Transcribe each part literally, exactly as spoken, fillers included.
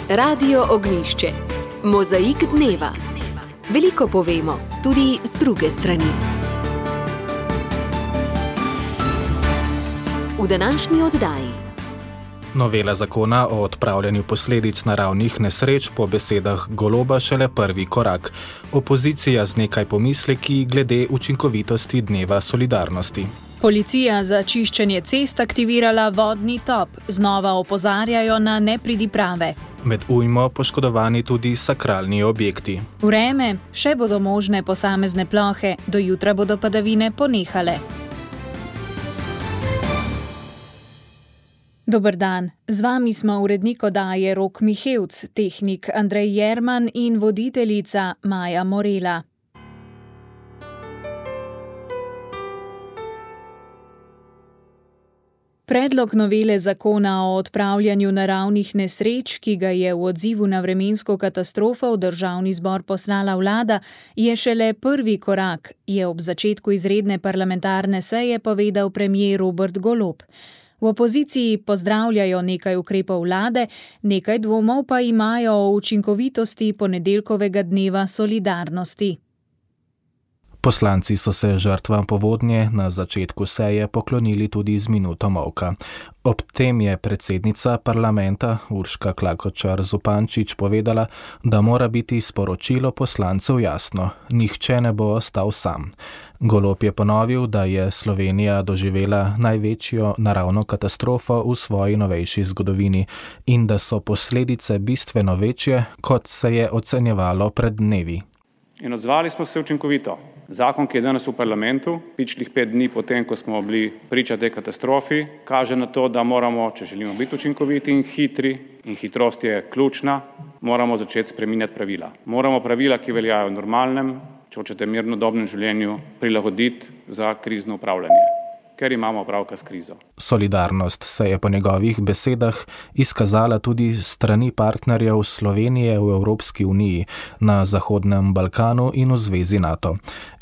Radio Ognjišče. Mozaik dneva. Veliko povemo, tudi z druge strani. V današnji oddaji. Novela zakona o odpravljanju posledic naravnih nesreč po besedah Goloba šele prvi korak. Opozicija z nekaj pomisleki glede učinkovitosti dneva solidarnosti. Policija za čiščenje cest aktivirala vodni top. Znova opozarjajo na nepridiprave. Med ujmo poškodovani tudi sakralni objekti. Vreme, še bodo možne posamezne plohe, do jutra bodo padavine ponehale. Dober dan, z vami smo urednik oddaje Rok Mihevc, tehnik Andrej Jerman in voditeljica Maja Morela. Predlog novele zakona o odpravljanju naravnih nesreč, ki ga je v odzivu na vremensko katastrofo v državni zbor poslala vlada, je šele prvi korak, je ob začetku izredne parlamentarne seje povedal premier Robert Golob. V opoziciji pozdravljajo nekaj ukrepov vlade, nekaj dvomov pa imajo o učinkovitosti ponedeljkovega dneva solidarnosti. Poslanci so se žrtvam povodnje na začetku seje poklonili tudi z minuto molka. Ob tem je predsednica parlamenta Urška Klakočar Zupančič povedala, da mora biti sporočilo poslancev jasno, nihče ne bo ostal sam. Golob je ponovil, da je Slovenija doživela največjo naravno katastrofo v svoji novejši zgodovini in da so posledice bistveno večje, kot se je ocenjevalo pred dnevi. In odzvali smo se učinkovito. Zakon, ki je danes v parlamentu, pičlih pet dni potem, ko smo bili priča tej katastrofi, kaže na to, da moramo, če želimo biti učinkoviti in hitri, in hitrost je ključna, moramo začeti spreminjati pravila. Moramo pravila, ki veljajo v normalnem, če hočete mirnodobnem življenju, prilagoditi za krizno upravljanje, ker imamo opravka s krizo. Solidarnost se je po njegovih besedah izkazala tudi strani partnerjev Slovenije v Evropski uniji, na Zahodnem Balkanu in v Zvezi NATO.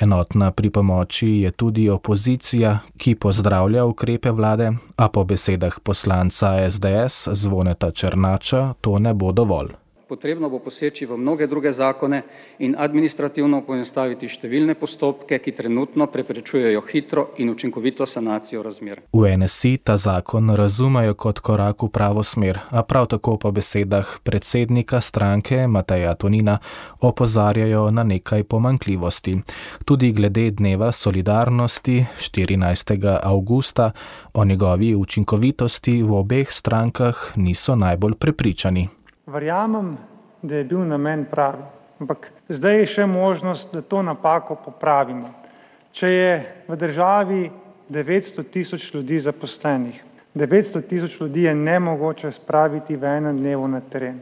Enotna pri pomoči je tudi opozicija, ki pozdravlja ukrepe vlade, a po besedah poslanca es de es Zvoneta Černača to ne bo dovolj. Potrebno bo poseči v mnoge druge zakone in administrativno poenostaviti številne postopke, ki trenutno preprečujejo hitro in učinkovito sanacijo razmer. V en es i ta zakon razumejo kot korak v pravo smer, a prav tako po besedah predsednika stranke Mateja Tonina opozarjajo na nekaj pomanjkljivosti. Tudi glede dneva solidarnosti štirinajstega avgusta o njegovi učinkovitosti v obeh strankah niso najbolj prepričani. Verjamem, da je bil namen pravi, ampak zdaj je še možnost, da to napako popravimo. Če je v državi devetsto tisoč ljudi zaposlenih, devetsto tisoč ljudi je nemogoče spraviti v enem dnevu na teren.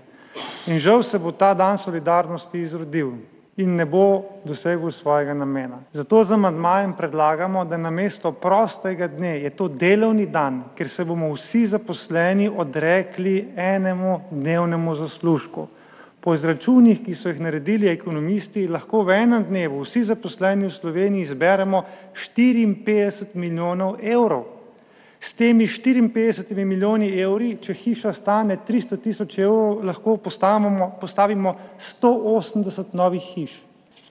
In žal se bo ta dan solidarnosti izrodil in ne bo dosegel svojega namena. Zato z amandmajem predlagamo, da namesto prostega dne je to delovni dan, ker se bomo vsi zaposleni odrekli enemu dnevnemu zaslužku. Po izračunih, ki so jih naredili ekonomisti, lahko v enem dnevu vsi zaposleni v Sloveniji zberemo štiriinpetdeset milijonov evrov. S temi štiriinpetdesetimi milijoni evri, če hiša stane tristo tisoč evrov, lahko postavimo, postavimo sto osemdeset novih hiš.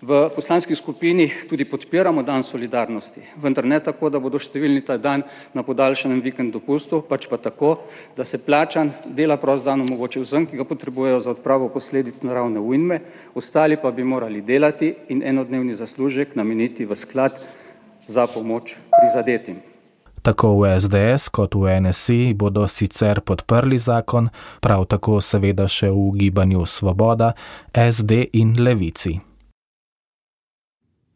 V poslanski skupini tudi podpiramo dan solidarnosti, vendar ne tako, da bodo številni ta dan na podaljšanem vikend dopustu, pač pa tako, da se plačan dela prost dan omogoči vsem, ki ga potrebujejo za odpravo posledic naravne ujme, ostali pa bi morali delati in enodnevni zaslužek nameniti v sklad za pomoč prizadetim. Tako v es de es kot v en es i bodo sicer podprli zakon, prav tako seveda še v gibanju Svoboda, es de in Levici.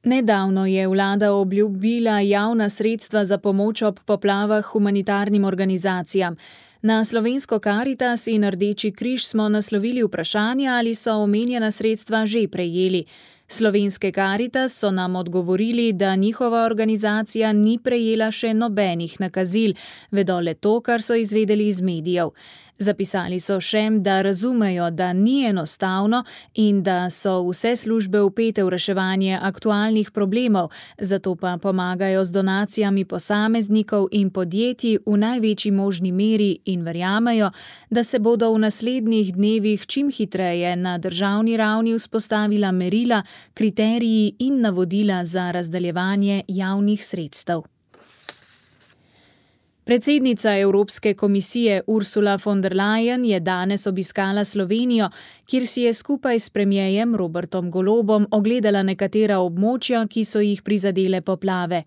Nedavno je vlada obljubila javna sredstva za pomoč ob poplavah humanitarnim organizacijam. Na slovensko Karitas in Rdeči križ smo naslovili vprašanje, ali so omenjena sredstva že prejeli. Slovenske Karitas so nam odgovorili, da njihova organizacija ni prejela še nobenih nakazil, vedo le to, kar so izvedeli iz medijev. Zapisali so še, da razumejo, da ni enostavno in da so vse službe vpete v reševanje aktualnih problemov, zato pa pomagajo z donacijami posameznikov in podjetij v največji možni meri in verjamejo, da se bodo v naslednjih dnevih čim hitreje na državni ravni vzpostavila merila, kriteriji in navodila za razdeljevanje javnih sredstev. Predsednica Evropske komisije Ursula von der Leyen je danes obiskala Slovenijo, kjer si je skupaj s premierjem Robertom Golobom ogledala nekatera območja, ki so jih prizadele poplave.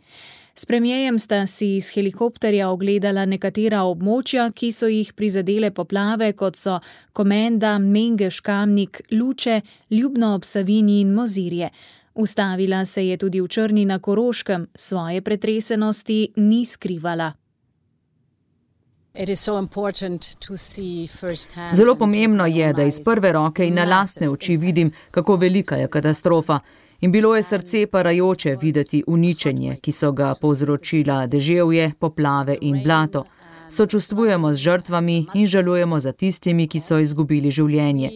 S premierjem sta si iz helikopterja ogledala nekatera območja, ki so jih prizadele poplave, kot so Komenda, Mengeš, Kamnik, Luče, Ljubno ob Savinji in Mozirje. Ustavila se je tudi v Črni na Koroškem, svoje pretresenosti ni skrivala. Zelo pomembno je, da iz prve roke in na lastne oči vidim, kako velika je katastrofa. In bilo je srce parajoče videti uničenje, ki so ga povzročila deževje, poplave in blato. Sočustvujemo z žrtvami in žalujemo za tistimi, ki so izgubili življenje.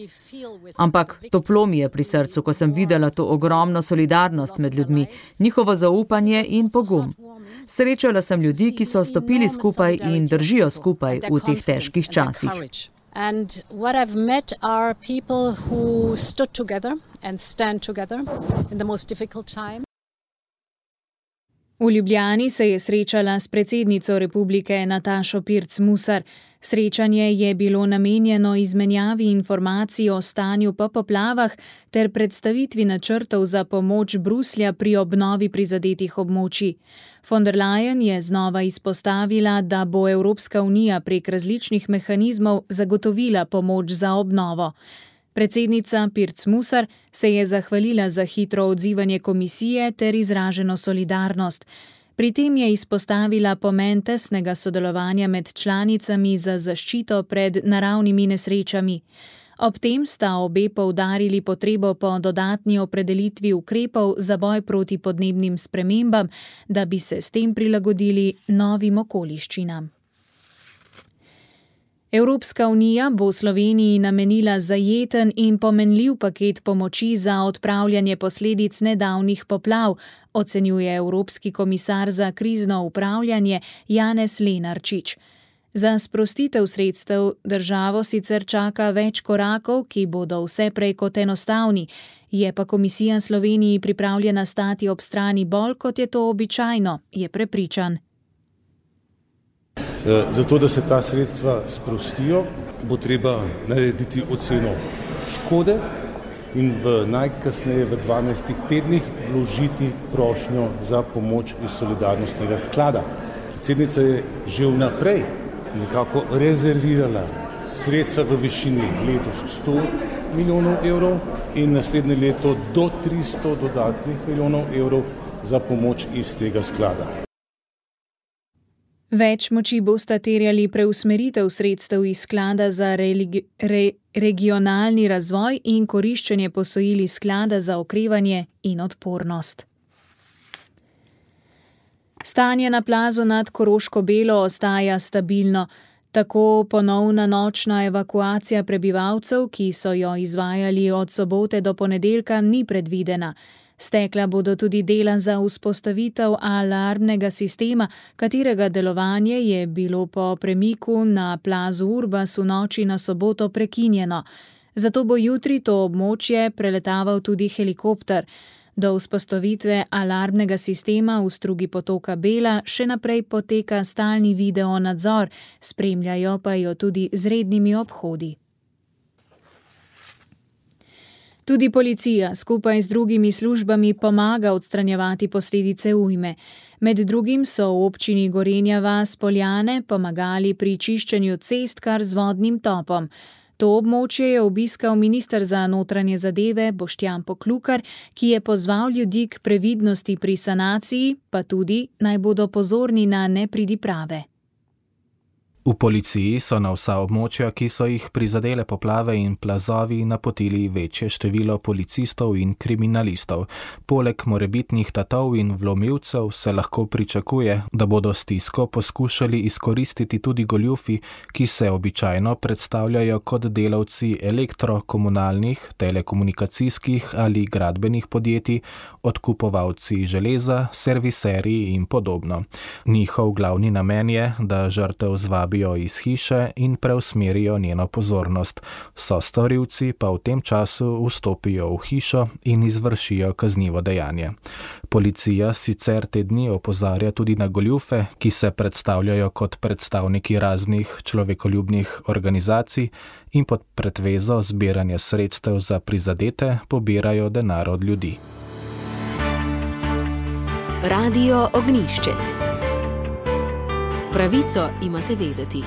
Ampak toplo mi je pri srcu, ko sem videla to ogromno solidarnost med ljudmi, njihovo zaupanje in pogum. Srečala sem ljudi, ki so stopili skupaj in držijo skupaj v teh težkih časih. And what I've met are people who stood together and stand together in the most difficult time. V Ljubljani se je srečala s predsednico republike Natašo Pirc Musar. Srečanje je bilo namenjeno izmenjavi informacij o stanju po poplavah ter predstavitvi načrtov za pomoč Bruslja pri obnovi prizadetih območij. Von der Leyen je znova izpostavila, da bo Evropska unija prek različnih mehanizmov zagotovila pomoč za obnovo. Predsednica Pirc Musar se je zahvalila za hitro odzivanje komisije ter izraženo solidarnost. Pri tem je izpostavila pomen tesnega sodelovanja med članicami za zaščito pred naravnimi nesrečami. Ob tem sta obe poudarili potrebo po dodatni opredelitvi ukrepov za boj proti podnebnim spremembam, da bi se s tem prilagodili novim okoliščinam. Evropska unija bo Sloveniji namenila zajeten in pomenljiv paket pomoči za odpravljanje posledic nedavnih poplav, ocenjuje Evropski komisar za krizno upravljanje Janez Lenarčič. Za sprostitev sredstev državo sicer čaka več korakov, ki bodo vse prej kot enostavni, je pa komisija Sloveniji pripravljena stati ob strani bolj, kot je to običajno, je prepričan. Zato, da se ta sredstva sprostijo, bo treba narediti oceno škode in v najkasneje v dvanajstih tednih vložiti prošnjo za pomoč iz solidarnostnega sklada. Predsednica je že vnaprej nekako rezervirala sredstva v višini letos sto milijonov evrov in naslednje leto do tristo dodatnih milijonov evrov za pomoč iz tega sklada. Več moči bosta terjali preusmeritev sredstev iz sklada za religi- re- regionalni razvoj in koriščenje posojil iz sklada za okrevanje in odpornost. Stanje na plazu nad Koroško Belo ostaja stabilno. Tako ponovna nočna evakuacija prebivalcev, ki so jo izvajali od sobote do ponedeljka, ni predvidena. Stekla bodo tudi dela za vzpostavitev alarmnega sistema, katerega delovanje je bilo po premiku na plazu Urbas v noči na soboto prekinjeno. Zato bo jutri to območje preletaval tudi helikopter. Do vzpostavitve alarmnega sistema v strugi potoka Bela še naprej poteka stalni video nadzor, spremljajo pa jo tudi z rednimi obhodi. Tudi policija skupaj z drugimi službami pomaga odstranjevati posledice ujme. Med drugim so v občini Gorenja vas Poljane pomagali pri čiščenju cest kar z vodnim topom. To območje je obiskal minister za notranje zadeve Boštjan Poklukar, ki je pozval ljudi k previdnosti pri sanaciji, pa tudi naj bodo pozorni na nepridiprave. V policiji so na vsa območja, ki so jih prizadele poplave in plazovi, napotili večje število policistov in kriminalistov. Poleg morebitnih tatov in vlomilcev se lahko pričakuje, da bodo stisko poskušali izkoristiti tudi goljufi, ki se običajno predstavljajo kot delavci elektrokomunalnih, telekomunikacijskih ali gradbenih podjetij, odkupovalci železa, serviserji in podobno. Njihov glavni namen je, da žrtev zvabi iz hiše in preusmerijo njeno pozornost. Sostorilci pa v tem času vstopijo v hišo in izvršijo kaznivo dejanje. Policija sicer te dni opozarja tudi na goljufe, ki se predstavljajo kot predstavniki raznih človekoljubnih organizacij in pod pretvezo zbiranja sredstev za prizadete pobirajo denar od ljudi. Radio Ognjišče. Pravico imate vedeti.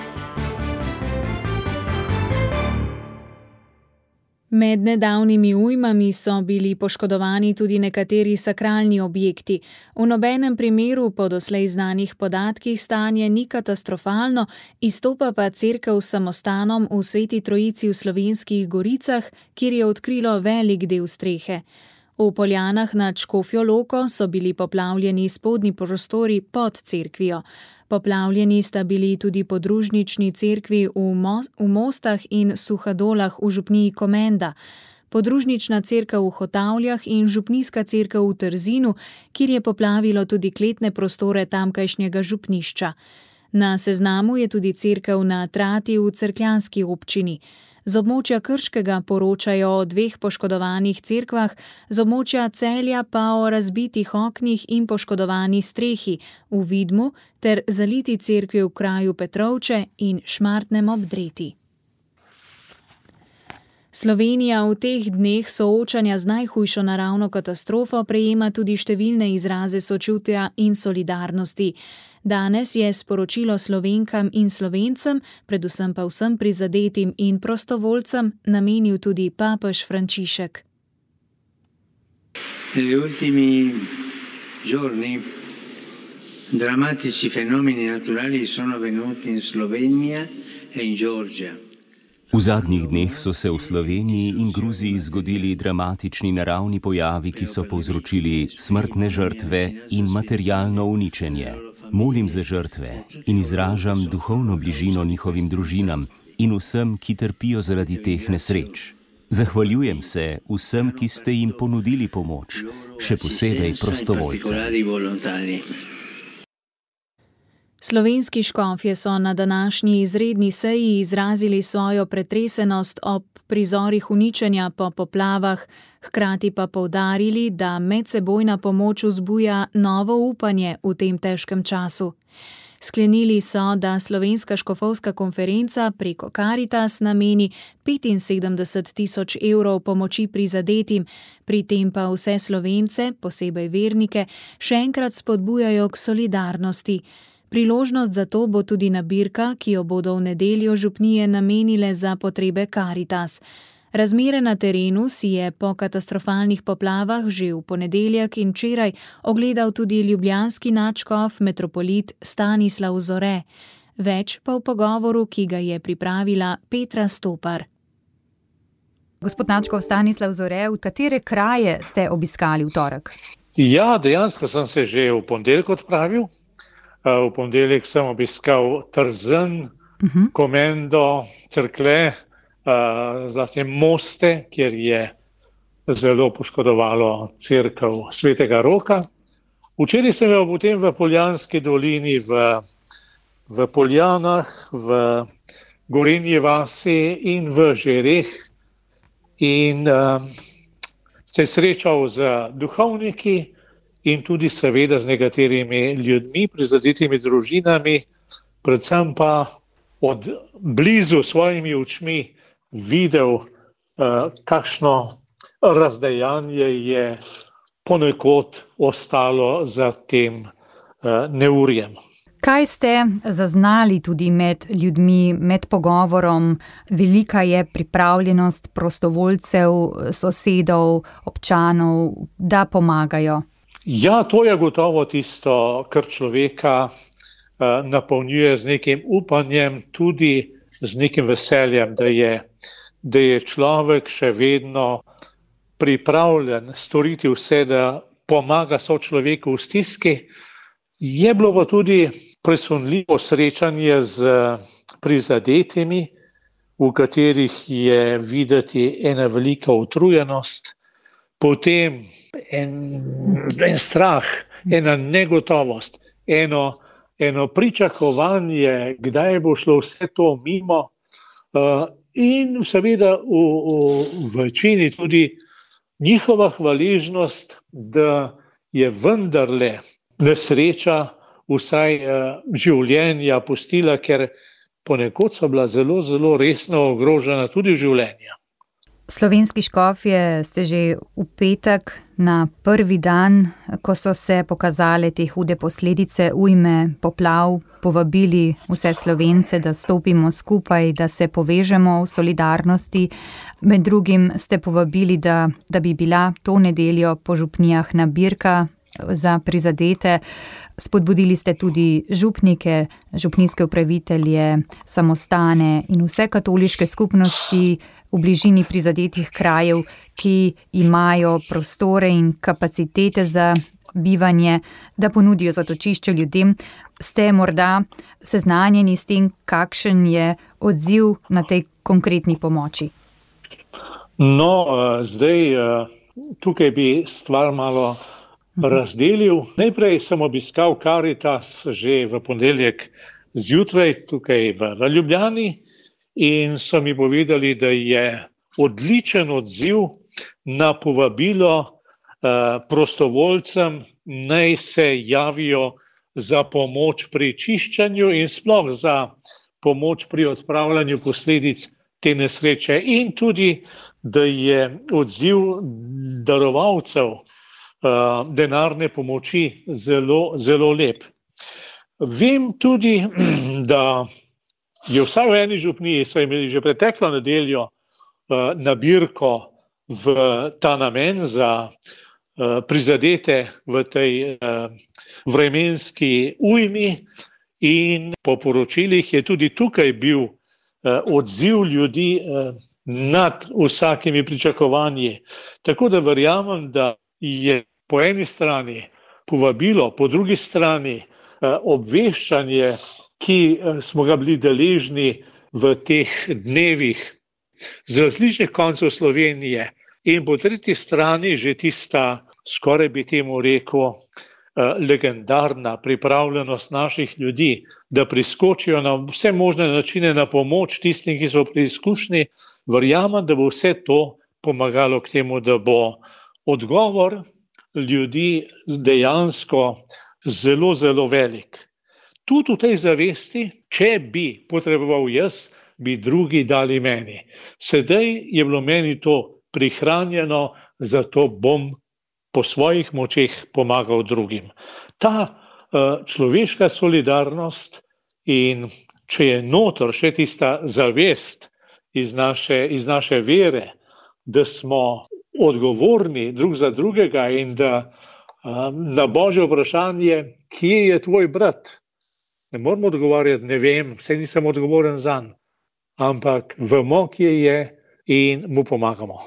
Med nedavnimi ujmami so bili poškodovani tudi nekateri sakralni objekti. V nobenem primeru po doslej znanih podatkih stanje ni katastrofalno, izstopa pa cerkev s samostanom v Sveti Trojici v Slovenskih Goricah, kjer je odkrilo velik del strehe. V Poljanah nad Škofjo Loko so bili poplavljeni spodnji prostori pod cerkvijo. Poplavljeni sta bili tudi podružnični cerkvi v, Mo- v Mostah in Suhadolah v župniji Komenda, podružnična cerkev v Hotavljah in župnijska cerkev v Trzinu, kjer je poplavilo tudi kletne prostore tamkajšnjega župnišča. Na seznamu je tudi cerkev na Trati v cerkljanski občini. Z območja Krškega poročajo o dveh poškodovanih cerkvah, z območja Celja pa o razbitih oknih in poškodovani strehi v Vidmu ter zaliti cerkvi v kraju Petrovče in Šmartnem ob Dreti. Slovenija v teh dneh soočanja z najhujšo naravno katastrofo prejema tudi številne izraze sočutja in solidarnosti. Danes je sporočilo Slovenkam in Slovencem, predvsem pa vsem prizadetim in prostovoljcem, namenil tudi papež Frančišek. Negli ultimi giorni drammatici fenomeni naturali sono venuti in Slovenija e in Georgia. V zadnjih dneh so se v Sloveniji in Gruziji zgodili dramatični naravni pojavi, ki so povzročili smrtne žrtve in materialno uničenje. Molim za žrtve in izražam duhovno bližino njihovim družinam in vsem, ki trpijo zaradi teh nesreč. Zahvaljujem se vsem, ki ste jim ponudili pomoč, še posebej prostovoljcem. Slovenski škofje so na današnji izredni seji izrazili svojo pretresenost ob prizorih uničenja po poplavah, hkrati pa poudarili, da medsebojna pomoč vzbuja novo upanje v tem težkem času. Sklenili so, da Slovenska škofovska konferenca preko Karitas nameni petinsedemdeset tisoč evrov pomoči prizadetim, pri tem pa vse Slovence, posebej vernike, še enkrat spodbujajo k solidarnosti. Priložnost za to bo tudi nabirka, ki jo bodo v nedeljo župnije namenile za potrebe Karitas. Razmere na terenu si je po katastrofalnih poplavah že v ponedeljek in včeraj ogledal tudi ljubljanski nadškof metropolit Stanislav Zore. Več pa v pogovoru, ki ga je pripravila Petra Stopar. Gospod nadškof Stanislav Zore, v katere kraje ste obiskali v torek? Ja, dejansko sem se že v ponedeljek odpravil. V ponedeljek sem obiskal Trzin, uh-huh. Komendo, Cerklje, zlasti Moste, kjer je zelo poškodovalo cerkev Svetega Roka. Včeraj sem bil potem v Poljanski dolini, v, v Poljanah, v Gorenji vasi in v Žereh in uh, se srečal z duhovniki in tudi seveda z nekaterimi ljudmi, prizadetimi družinami, predvsem pa od blizu svojimi očmi videl, uh, kakšno razdejanje je ponekod ostalo za tem uh, neurjem. Kaj ste zaznali tudi med ljudmi, med pogovorom? Velika je pripravljenost prostovoljcev, sosedov, občanov, da pomagajo. Ja, to je gotovo tisto, kar človeka napolnjuje z nekim upanjem, tudi z nekim veseljem, da je, da je človek še vedno pripravljen storiti vse, da pomaga sočloveku v stiski. Je bilo pa tudi presunljivo srečanje z prizadetimi, v katerih je videti ena velika utrujenost, potem en, en strah, ena negotovost, eno, eno pričakovanje, kdaj bo šlo vse to mimo, uh, in seveda v, v večini tudi njihova hvaležnost, da je vendarle nesreča vsaj uh, življenja pustila, ker ponekod so bila zelo, zelo resno ogrožena tudi življenja. Slovenski škofje ste že v petek na prvi dan, ko so se pokazale te hude posledice ujme poplav, povabili vse Slovence, da stopimo skupaj, da se povežemo v solidarnosti. Med drugim ste povabili, da, da bi bila to nedeljo po župnijah nabirka za prizadete. Spodbudili ste tudi župnike, župnijske upravitelje, samostane in vse katoliške skupnosti v bližini prizadetih krajev, ki imajo prostore in kapacitete za bivanje, da ponudijo zatočišče ljudem. Ste morda seznanjeni s tem, kakšen je odziv na tej konkretni pomoči? No, zdaj tukaj bi stvar malo razdelil. Najprej sem obiskal Karitas že v ponedeljek zjutraj tukaj v, v Ljubljani in so mi povedali, da je odličen odziv na povabilo eh, prostovoljcem, naj se javijo za pomoč pri čiščenju in sploh za pomoč pri odpravljanju posledic te nesreče, in tudi, da je odziv darovalcev denarne pomoči zelo, zelo lep. Vem tudi, da je vsaj v eni župniji so imeli že preteklo nedeljo nabirko v ta namen za prizadete v tej vremenski ujmi, in po poročilih je tudi tukaj bil odziv ljudi nad vsakimi pričakovanji. Tako da verjamem, da je po eni strani povabilo, po drugi strani obveščanje, ki smo ga bili deležni v teh dnevih z različnih koncev Slovenije, in po tretji strani že tista, skoraj bi temu rekel, legendarna pripravljenost naših ljudi, da priskočijo na vse možne načine na pomoč tistim, ki so preizkušeni. Verjamem, da bo vse to pomagalo k temu, da bo odgovor ljudi dejansko zelo, zelo velik. Tudi v tej zavesti, če bi potreboval jaz, bi drugi dali meni. Sedaj je bilo meni to prihranjeno, zato bom po svojih močeh pomagal drugim. Ta uh, človeška solidarnost, in če je notor še tista zavest iz naše, iz naše vere, da smo odgovorni drug za drugega in da um, na Božje vprašanje, kje je tvoj brat, ne moramo odgovarjati, ne vem, saj nisem odgovoren zanj, ampak vemo, kje je, in mu pomagamo.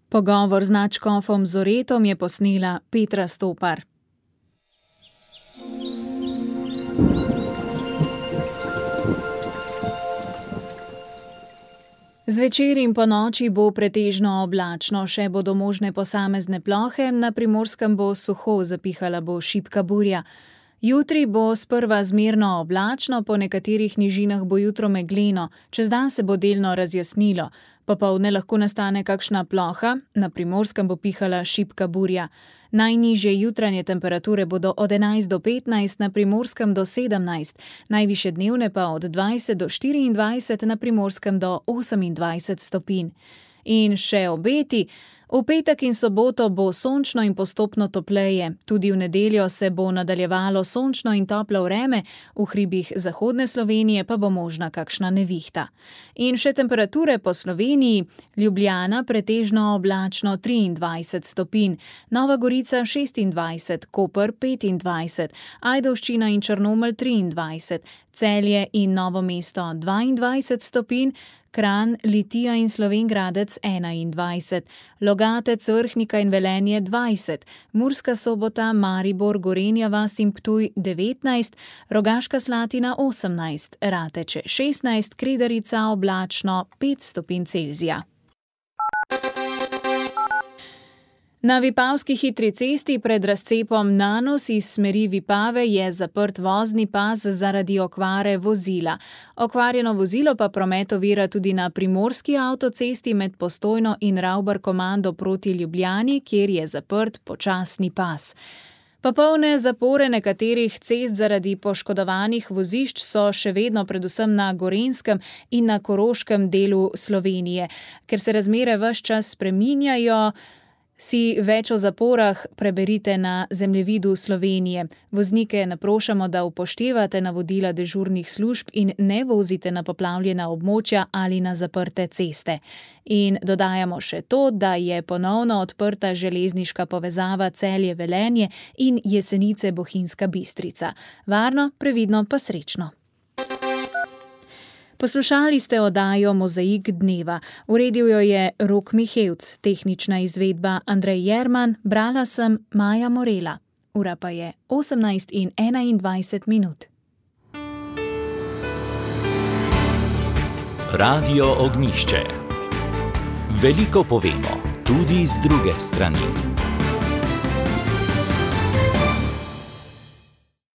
Pogovor z nadškofom Zoretom je posnela Petra Stopar. Zvečer in ponoči bo pretežno oblačno, še bodo možne posamezne plohe, na Primorskem bo suho, zapihala bo šibka burja. Jutri bo sprva zmerno oblačno, po nekaterih nižinah bo jutro megleno, čez dan se bo delno razjasnilo. Popoldne lahko nastane kakšna ploha, na Primorskem bo pihala šibka burja. Najnižje jutranje temperature bodo od enajst do petnajst, na Primorskem do sedemnajst, najvišje dnevne pa od dvajset do štiriindvajset, na Primorskem do osemindvajset stopinj. In še obeti. V petek in soboto bo sončno in postopno topleje, tudi v nedeljo se bo nadaljevalo sončno in toplo vreme, v hribih zahodne Slovenije pa bo možna kakšna nevihta. In še temperature po Sloveniji: Ljubljana pretežno oblačno triindvajset stopinj, Nova Gorica šestindvajset, Koper petindvajset, Ajdovščina in Črnomelj triindvajset, Celje in Novo mesto dvaindvajset stopinj, Kranj, Litija in Slovenj Gradec enaindvajset, Logatec, Vrhnika in Velenje dvajset, Murska Sobota, Maribor, Gorenja vas in Ptuj devetnajst, Rogaška Slatina osemnajst, Rateče šestnajst, Kredarica oblačno pet stopinj Celzija. Na Vipavski hitri cesti pred razcepom Nanos iz smeri Vipave je zaprt vozni pas zaradi okvare vozila. Okvarjeno vozilo pa promet ovira tudi na primorski avtocesti med Postojno in Ravbar-Komando proti Ljubljani, kjer je zaprt počasni pas. Popolne zapore nekaterih cest zaradi poškodovanih vozišč so še vedno predvsem na Gorenjskem in na Koroškem delu Slovenije. Ker se razmere ves čas spreminjajo, si več o zaporah preberite na zemljevidu Slovenije. Voznike naprošamo, da upoštevate navodila dežurnih služb in ne vozite na poplavljena območja ali na zaprte ceste. In dodajamo še to, da je ponovno odprta železniška povezava Celje-Velenje in Jesenice-Bohinjska Bistrica. Varno, previdno pa srečno. Poslušali ste oddajo Mozaik dneva. Uredil jo je Rok Mihevc, tehnična izvedba Andrej Jerman, brala sem Maja Morela. Ura pa je osemnajst in enaindvajset minut. Radio Ognjišče. Veliko povemo, tudi z druge strani.